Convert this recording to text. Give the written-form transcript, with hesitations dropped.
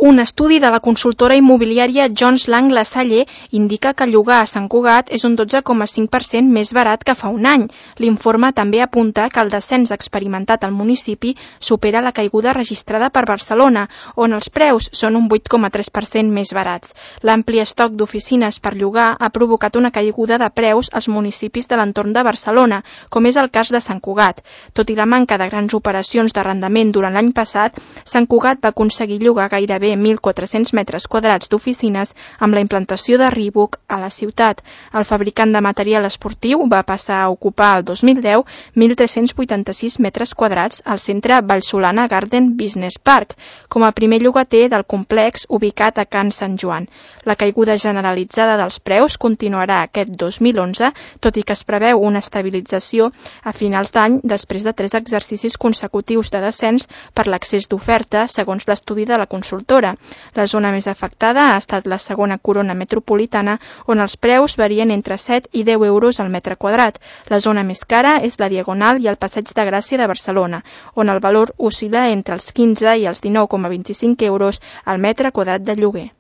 Un estudi de la consultora immobiliària Jones Lang LaSalle indica que llogar a Sant Cugat és un 12,5% més barat que fa un any. L'informe també apunta que el descens experimentat al municipi supera la caiguda registrada per Barcelona, on els preus són un 8,3% més barats. L'ampli estoc d'oficines per llogar ha provocat una caiguda de preus als municipis de l'entorn de Barcelona, com és el cas de Sant Cugat. Tot i la manca de grans operacions d'arrendament durant l'any passat, Sant Cugat va aconseguir llogar gairebé 1.400 metres quadrats d'oficines amb la implantació de Reebok a la ciutat. El fabricant de material esportiu va passar a ocupar el 2010 1.386 metres quadrats al centre Vallsolana Garden Business Park, com a primer llogater del complex ubicat a Can Sant Joan. La caiguda generalitzada dels preus continuarà aquest 2011, tot i que es preveu una estabilització a finals d'any després de 3 exercicis consecutius de descens per l'excés d'oferta, segons l'estudi de la consultora. La zona més afectada ha estat la segona corona metropolitana, on els preus varien entre 7 i 10 euros al metre quadrat. La zona més cara és la Diagonal i el Passeig de Gràcia de Barcelona, on el valor oscil·la entre els 15 i els 19,25 euros al metre quadrat de lloguer.